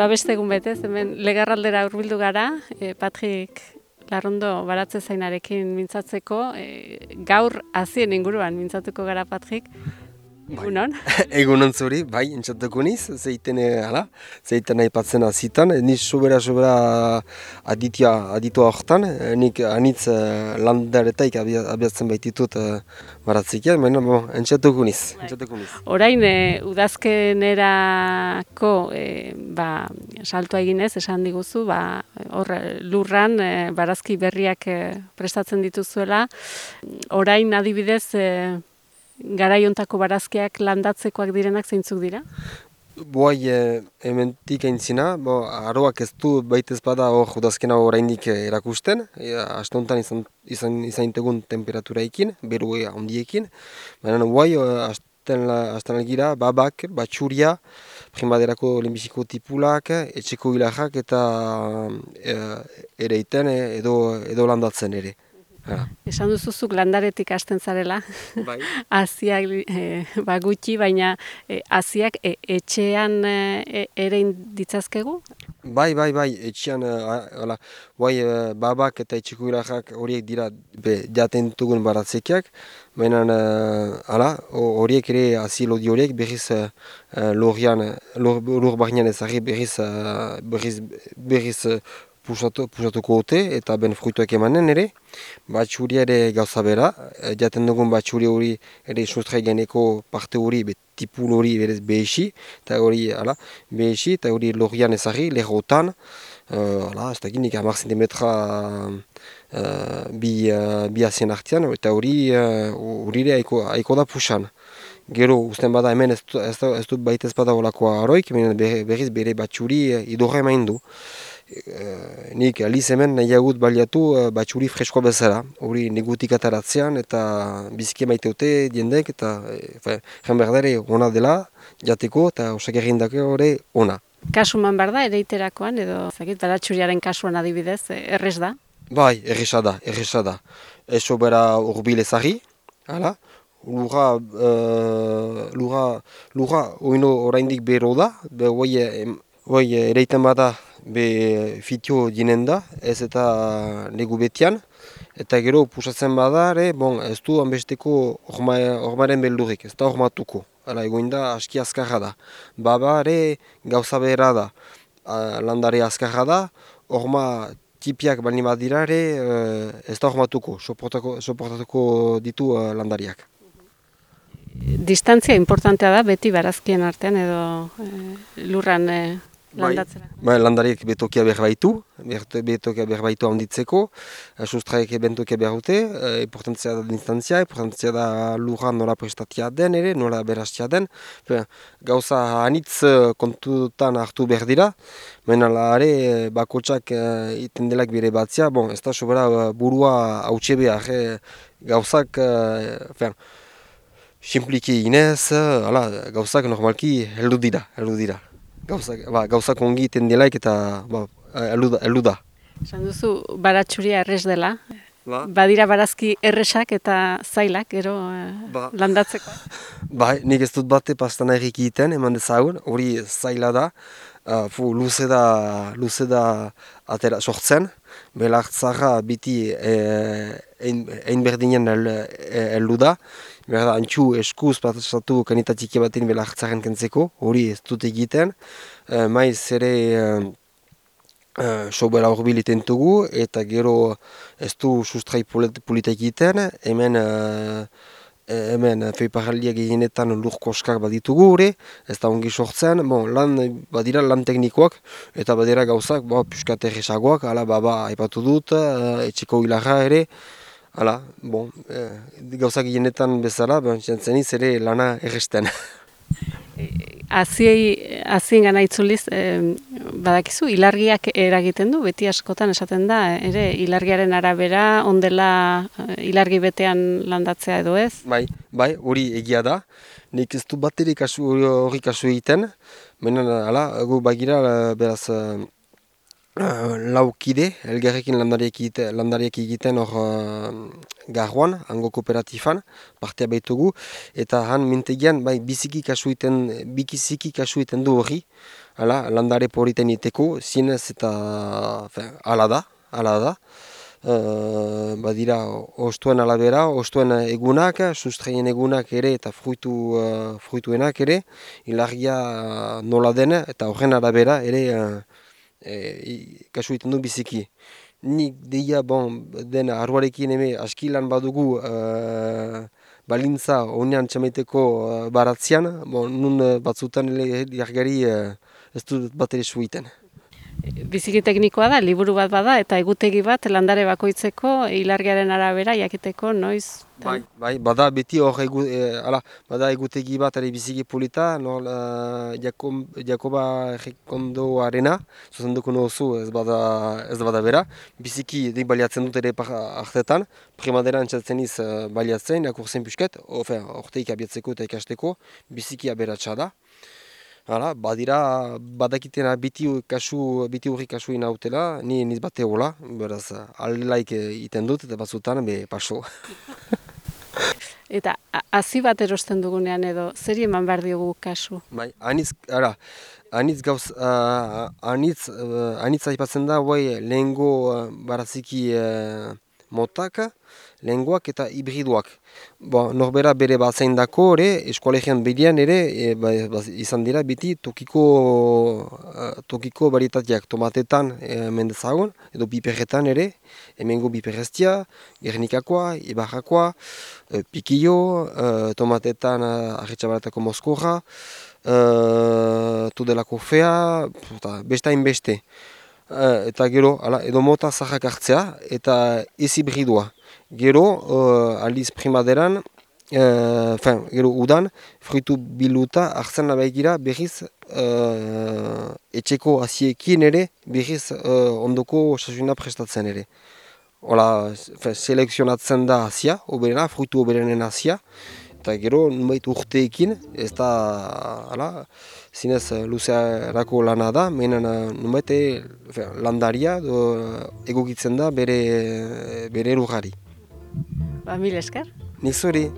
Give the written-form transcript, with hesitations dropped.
beste egun betez, hemen Legarraldera hurbildu gara, Patrik Larrondo baratze zainarekin mintzatzeko, gaur hazien inguruan mintzatuko gara, Patrik. Egunon? Egunon zuri, bai, entzatuko niz, zeiten aipatzen hazitan, niz sobera aditua horretan, nik anitz landaretaik abiatzen baititut baratzikia, baina entzatuko niz. Orain, udazkenerako saltoa eginez, esan diguzu, hor lurran barazki berriak prestatzen dituzuela. Orain adibidez, garaiontako barazkiak landatzekoak direnak zeintzuk dira? Hementik aintzina, aroak ez du baitez bada hor udazkena oraindik erakusten, astontan izan tegun temperaturaikin, beru handiekin, baina hasten algira babak, batxuria, primaderako lehenbiziko tipulak, etxeko hilarrak eta ereiten edo landatzen ere. Esan duzuzuk landaretik hasten zarela, Bai. haziak gutxi, baina haziak etxean ere ditzazkegu? Bai, etxean, babak eta etxeko hilarrak horiek dira jaten dugun baratzekiak, baina horiek ere hazi lodi horiek berriz lur barnean ezagri berriz pusatuko dute eta ben fruituak emanen ere. Batxuria ere gauza bera, jaten dugun batxuria hori ere sustrai gaineko parte hori, tipul hori berez behesi, eta hori lorian ezagri, lehotan, ez da ginik 10 cm bi hazien artean, eta hori aiko da pusan. Gero, usten bada hemen ez dut baitez bada olakoa aroik, berriz bere batxuri idorra emain du. Nik aliz hemen nahiagut baliatu batxuri freskoa bezala. Hori negutik ataratzean eta biziki maiteute diendek eta jen berdare ona dela jateko eta osak egindako hori ona. Kasuman behar da, ereiterakoan edo baratxuriaren kasuan adibidez, errez da? Bai, erresa da. Eso bera urbil ezagri, Lura oino oraindik bero da, ereiten bada fitio dinen da, ez eta negu betian, eta gero pusatzen bada, ez du hanbesteko ormaren beldurik, ez da ormatuko, egoin da aski azkarra da. Baba gauza behera da, landare azkarra da, orma tipiak baldin bat dira ez da ormatuko, soportatuko ditu landariak. Distantzia importantea da beti barazkien artean edo lurran landatzera? Bai, landariek betokia behar baitu handitzeko, sustraek bentokia behar dute, importantzia da distantzia, importantzia da lurran nola prestatia den ere, nola berastia den. Gauza anitz kontutan hartu behar dira, baina are bakotsak iten delak bere batzia, ez da sobera burua hautsi behar, gauzak, simpliki inez, gauzak normalki heldu dira. Gauzak ongi iten delaik eta heldu da. Esan duzu baratxuria errez dela, badira barazki erresak eta zailak, ero landatzeko? Nik ez dut bate pastan errik egiten, eman dezagun, hori zaila da, luze da atera sortzen, belartzara biti ein berdinen heldu da, berda antxu eskuz pasatu kanitatik baten belartzaren kentzeko, hori ez dut egiten, maiz ere sobera horbil iten dugu, eta gero ez du sustrai polita egiten, hemen feiparraldiak eginetan lur koskak baditugu hori, ez da ongi sortzen, badira lan teknikoak, eta badira gauzak, piskat erresagoak, baba aipatu dut, etxeko hilarra ere, gauzak eginetan bezala, jentzeniz ere lana erresten. Hazien gana itzuliz, badakizu, ilargiak eragiten du, beti askotan esaten da, ere, ilargiaren arabera, ondela ilargi betean landatzea edo ez? Bai, hori egia da, nik ez du baterik hori kasu egiten, baina, gu bagira, beraz, laukide, elgarrekin landariak egiten hor garroan, hango kooperatifan, partea baitugu, eta han mintegian bai, biziki kasu iten du hori, landare poriten iteko, zinez eta ala da. Badira ostuen alabera, ostuen egunak, sustraien egunak ere eta fruituenak ere, ilargia nola den eta horren arabera ere kasu egiten du biziki. Nik deia den arruarekin eme askilan badugu balintza honean txamaiteko baratzean, nun batzutan jargari ez dut bat ere suiten. Biziki teknikoa da, liburu bat bada, eta egutegi bat landare bakoitzeko ilargiaren arabera jakiteko noiz. Bai, bada beti hor bada egutegi bat ere biziki polita, Jakoba Errekondoarena, zuzenduko nozu ez bada bera, biziki dik baliatzen dut ere hartetan, primaderan txatzen iz baliatzen, akurzen pixket, orteik abiatzeko eta ikasteko, biziki aberatsa da. Badakitena biti hurri kasu inautela, ni niz bate hola, beraz, aldelaik iten dut eta batzutan, paso. Eta hazi bat erosten dugunean edo, zeri eman behar diogu kasu? Bai, anitz aipatzen da, lehengo baraziki motaka, lehengoak eta hibriduak. Norbera bere bat zaindako ere, eskolegian bidean ere, izan dira biti tokiko baritateak tomatetan mendezagon, edo piperretan ere, hemengo piperreztia, Gernikakoa, Ibarrakoa, pikillo, tomatetan arretxabaratako moskorra, tudelako fea, bestain beste. Eta gero, edo mota zahak hartzea, eta ez hibridua. Gero, aldiz primaderan, gero udan, fruitu biluta hartzen labaigira berriz etxeko aziekin ere, berriz ondoko sasuna prestatzen ere. Selekzionatzen da azia, oberena, fruitu oberenen azia, eta gero, nubait urteekin, ez da, zinez luzearako lana da, menen nubait landaria egokitzen da bere lujari. Mil esker. Nik zuri.